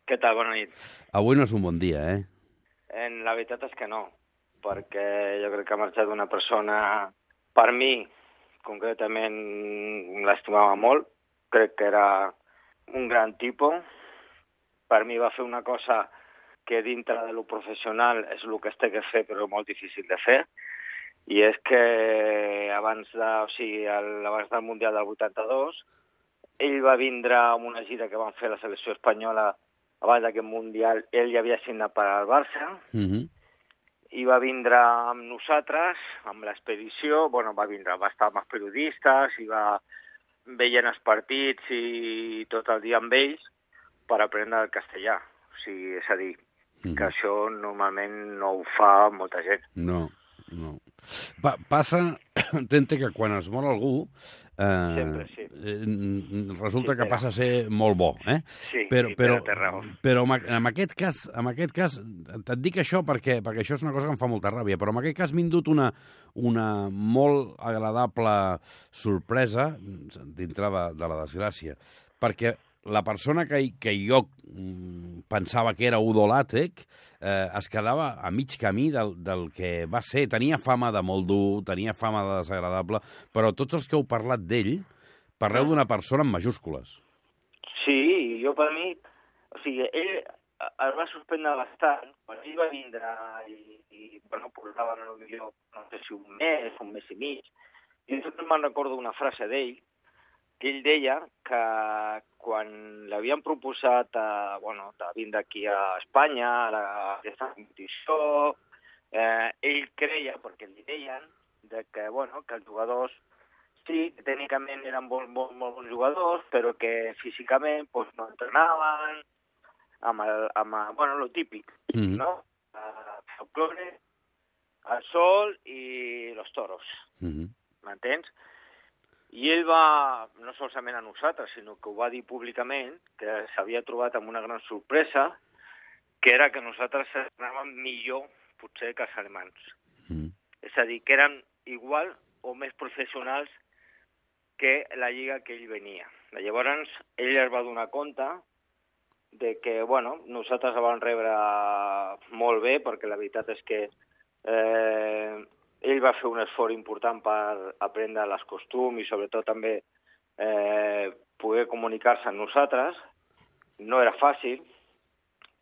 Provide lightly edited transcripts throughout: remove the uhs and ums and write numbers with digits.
Què tal? Bona nit. Avui no és un bon dia, La veritat és que no, perquè jo crec que ha marxat una persona, per mi, concretament, l'estimava molt. Crec que era un gran tipus. Per mi va fer una cosa que dintre de lo professional és el que es té que fer, però molt difícil de fer. I és que abans del Mundial del 82, ell va vindre amb una gira que van fer la selecció espanyola abans d'aquest Mundial. Ell ja havia signat per al Barça, i va vindre amb nosaltres, amb l'expedició. Va estar amb els periodistes i va veient els partits i tot el dia amb ells per aprendre el castellà. O sigui, és a dir, que això normalment no ho fa molta gent. No. Passa, Tente, que quan es mor algú, Sempre, sí. Resulta que passa a ser molt bo, Sí, però té raó. Però en aquest cas, et dic això perquè això és una cosa que em fa molta ràbia, però en aquest cas m'ha indut una molt agradable sorpresa dintre de la desgràcia, perquè la persona que jo pensava que era Udo Lattek es quedava a mig camí del que va ser. Tenia fama de molt dur, tenia fama de desagradable, però tots els que heu parlat d'ell, parleu d'una persona en majúscules. Sí, jo per mi... O sigui, ell es va sorprendre bastant quan ell va vindre i portaven potser, no sé si un mes i mig, i jo me'n recordo una frase d'ell, que ell deia que quan l'havien proposat de vindre aquí a Espanya, a aquesta competició, ell creia, perquè li deien, que els jugadors, sí, tècnicament eren molt bons jugadors, però que físicament no entrenaven, amb lo típic, no? El folclore, el sol i los toros, m'entens? I ell va, no solament a nosaltres, sinó que ho va dir públicament, que s'havia trobat amb una gran sorpresa, que era que nosaltres anàvem millor, potser, que els alemans. És a dir, que eren igual o més professionals que la lliga que ell venia. Llavors, ell es va donar compte de que, nosaltres la vam rebre molt bé, perquè la veritat és que ell va fer un esforç important per aprendre els costums i sobretot també poder comunicar-se amb nosaltres. No era fàcil,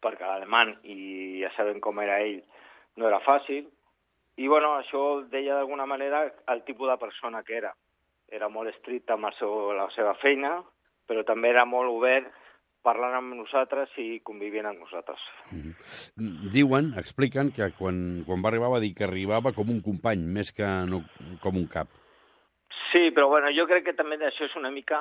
perquè l'alemany, i ja sabem com era ell, no era fàcil. I això deia d'alguna manera el tipus de persona que era. Era molt estricte amb la seva feina, però també era molt obert parlant amb nosaltres i convivint amb nosaltres. Expliquen que quan va arribar va dir que arribava com un company, més que no com un cap. Sí, però jo crec que també això és una mica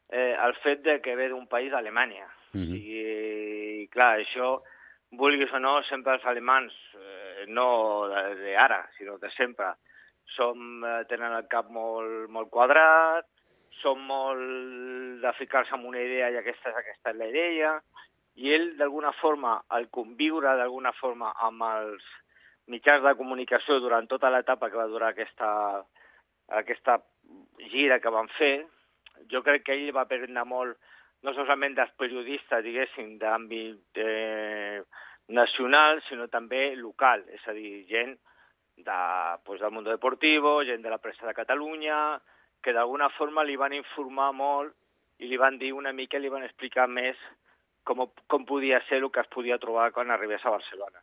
el fet de que ve d'un país d'Alemanya. I clar, això, vulguis o no, sempre els alemans, no d'ara, sinó de sempre, tenen el cap molt quadrat, són molt de ficar-se en una idea i aquesta és la idea, i ell, d'alguna forma, al conviure d'alguna forma amb els mitjans de comunicació durant tota l'etapa que va durar aquesta gira que van fer, jo crec que ell va aprendre molt, no solament dels periodistes, diguéssim, d'àmbit nacional, sinó també local, és a dir, gent del Mundo Deportivo, gent de la premsa de Catalunya, que d'alguna forma li van informar molt i li van dir una mica, li van explicar més com podia ser el que es podia trobar quan arribés a Barcelona.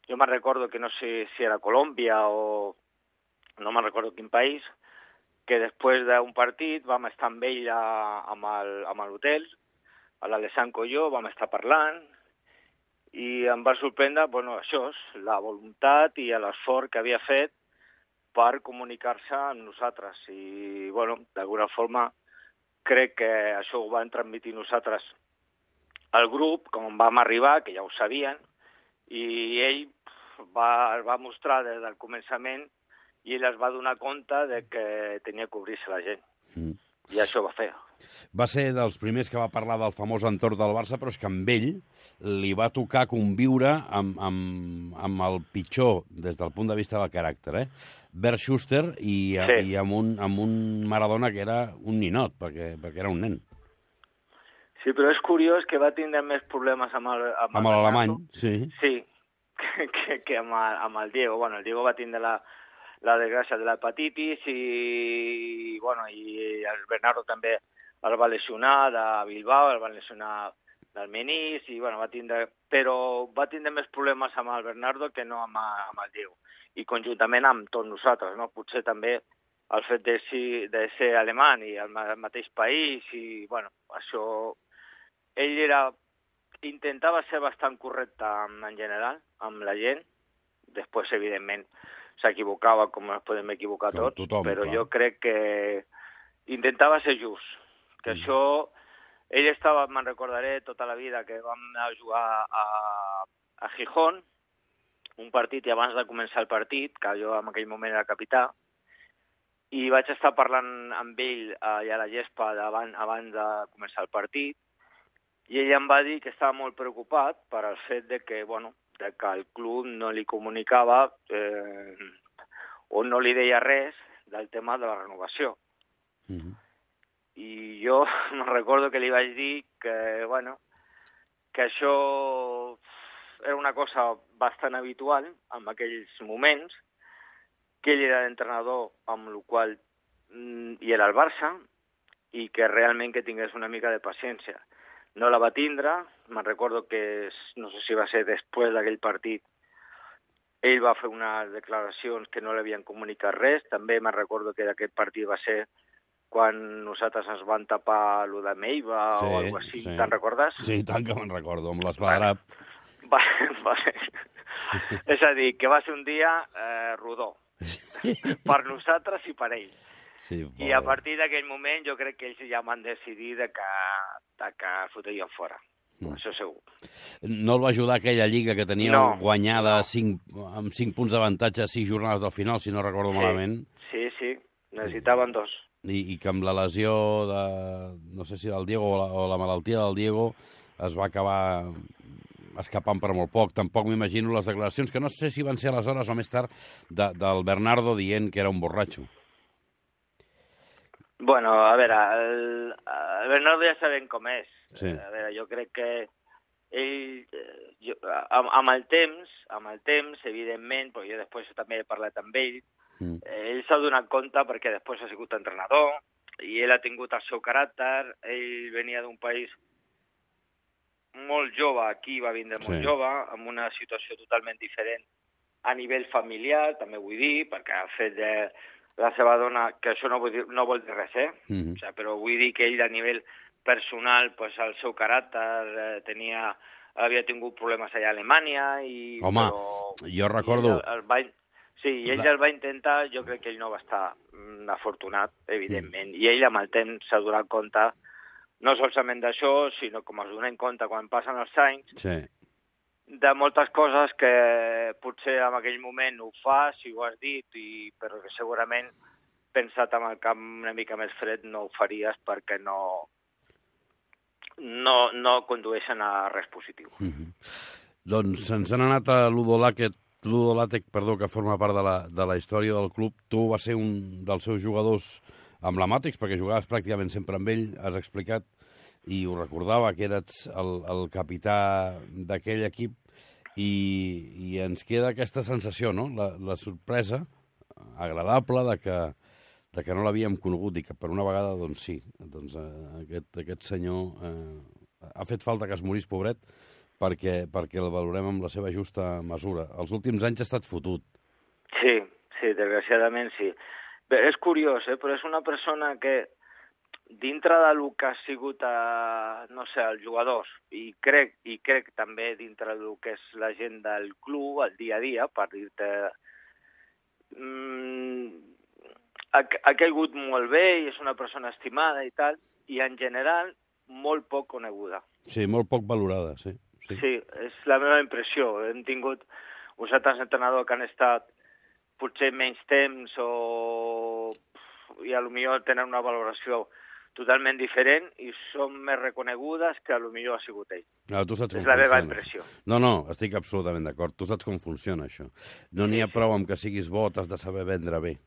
Jo me'n recordo que no sé si era Colòmbia o no me'n recordo quin país, que després d'un partit vam estar amb ell a l'hotel, a l'Alessandro i jo, vam estar parlant, i em va sorprendre, això, la voluntat i l'esforç que havia fet per comunicar-se amb nosaltres. I, d'alguna forma, crec que això ho van transmetre nosaltres al grup, com vam arribar, que ja ho sabien, i ell va mostrar des del començament i ell es va donar compte de que tenia que obrir-se la gent. I això va fer. Va ser dels primers que va parlar del famós entorn del Barça, però és que amb ell li va tocar conviure amb el pitjor des del punt de vista del caràcter, Bert Schuster i amb un Maradona que era un ninot, perquè era un nen. Sí, però és curiós que va tindre més problemes amb l'alemany, sí. Sí, que amb el Diego. Bueno, el Diego va tindre la desgràcia de l'hepatitis i el Bernardo també el va lesionar de Bilbao, el va lesionar del menís, i però va tindre més problemes amb el Bernardo que no amb el Diego. I conjuntament amb tots nosaltres, no? Potser també el fet de ser alemany i al mateix país, i això... Ell intentava ser bastant correcte en general, amb la gent. Després, evidentment, s'equivocava, com ens podem equivocar tots, però clar. Jo crec que intentava ser just. Que això... Ell estava, me'n recordaré tota la vida, que vam anar a jugar a Gijón, un partit, i abans de començar el partit, que jo en aquell moment era capità, i vaig estar parlant amb ell allà a la gespa abans de començar el partit, i ell em va dir que estava molt preocupat per al fet de que el club no li comunicava o no li deia res del tema de la renovació. I jo me'n recordo que li vaig dir que això era una cosa bastant habitual en aquells moments, que ell era l'entrenador amb el qual hi era el Barça, i que realment que tingués una mica de paciència. No la va tindre, me'n recordo que, no sé si va ser després d'aquell partit, ell va fer unes declaracions que no li havien comunicat res. També me'n recordo que d'aquest partit va ser quan nosaltres ens van tapar lo de Meiva o alguna cosa així, te'n recordes? Sí, tant que me'n recordo, amb l'Espadrap. És a dir, que va ser un dia rodó, per nosaltres i per ell. Sí, i a partir d'aquell moment jo crec que ells ja van decidir que fotrien fora. Això segur. No el va ajudar aquella lliga que tenia guanyada amb 5 punts d'avantatge a 6 jornades del final, si no recordo malament. Sí, necessitaven 2. I que amb la lesió no sé si del Diego o la malaltia del Diego es va acabar escapant per molt poc. Tampoc m'imagino les declaracions, que no sé si van ser aleshores o més tard, del Bernardo dient que era un borratxo. Bueno, a veure, el Bernardo ja sabem com és. Sí. A veure, jo crec que ell, amb el temps, evidentment, però jo després també he parlat amb ell, ell s'ha donat compte perquè després ha sigut entrenador i ell ha tingut el seu caràcter. Ell venia d'un país molt jove, aquí va vindre molt jove, amb una situació totalment diferent a nivell familiar, també vull dir, perquè el fet de la seva dona, que això no vol dir res, però vull dir que ell a nivell personal, pues, el seu caràcter havia tingut problemes allà a Alemanya i... Home, jo recordo... I ell el va intentar, jo crec que ell no va estar afortunat, evidentment, i ell amb el temps s'ha donat compte, no solament d'això, sinó com es donen compte quan passen els anys, de moltes coses que potser en aquell moment ho fa, si ho has dit, però que segurament pensat amb el cap una mica més fred no ho faries perquè no condueixen a res positiu. Doncs ens han anat a Ludo Latec, que forma part de la història del club. Tu vas ser un dels seus jugadors emblemàtics, perquè jugaves pràcticament sempre amb ell, has explicat, i ho recordava, que eres el capità d'aquell equip, i ens queda aquesta sensació, no? La sorpresa agradable de que no l'havíem conegut i que per una vegada, doncs sí, doncs aquest senyor ha fet falta que es morís, pobret, perquè el valorem amb la seva justa mesura. Els últims anys ha estat fotut. Sí, desgraciadament sí. Bé, és curiós, però és una persona que dintre del que ha sigut, els jugadors, i crec també dintre del que és la gent del club, el dia a dia, per dir-te, ha caigut molt bé i és una persona estimada i tal, i en general molt poc coneguda. Sí, molt poc valorada, sí. Sí, és la meva impressió. Hem tingut uns altres entrenadors que han estat potser menys temps i potser tenen una valoració totalment diferent i són més reconegudes que potser ha sigut ell. No, tu saps com és la meva funciona. impressió. No, estic absolutament d'acord. Tu saps com funciona, això. No n'hi ha prou amb que siguis bo, t'has de saber vendre bé.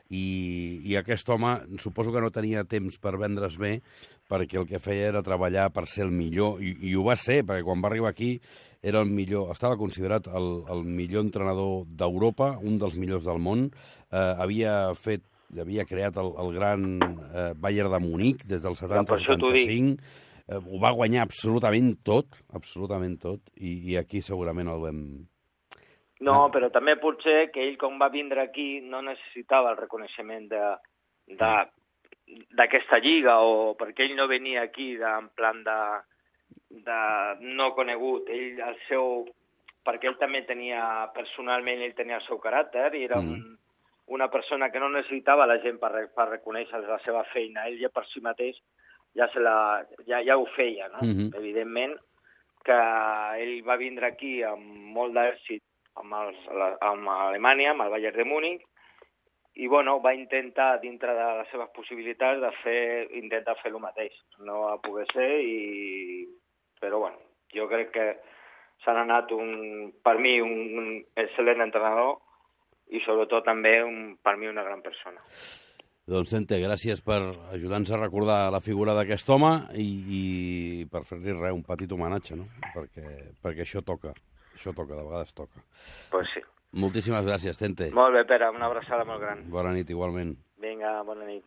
I aquest home, suposo que no tenia temps per vendre's bé, perquè el que feia era treballar per ser el millor, i ho va ser, perquè quan va arribar aquí era el millor, estava considerat el millor entrenador d'Europa, un dels millors del món, havia creat el gran Bayern de Munic des del 70-75, ho va guanyar absolutament tot, i aquí segurament el vam... No, però també potser que ell, quan va vindre aquí, no necessitava el reconeixement d'aquesta lliga, o perquè ell no venia aquí en plan de no conegut. Ell, perquè ell també tenia, personalment, ell tenia el seu caràcter, i era una persona que no necessitava la gent per reconèixer la seva feina. Ell ja per si mateix ja ho feia, no? Evidentment que ell va vindre aquí amb molt d'èxit amb Alemanya, amb el Bayern de Múnich, i va intentar, dintre de les seves possibilitats, intentar fer el mateix. No va poder ser, però jo crec que s'han anat, per mi, un excel·lent entrenador, i sobretot també, per mi, una gran persona. Doncs, Tente, gràcies per ajudar-nos a recordar la figura d'aquest home i per fer-li un petit homenatge, no? Perquè això toca, de vegades toca. Pues sí. Moltíssimes gràcies, Tente. Molt bé, Pere, una abraçada molt gran. Bona nit, igualment. Vinga, bona nit.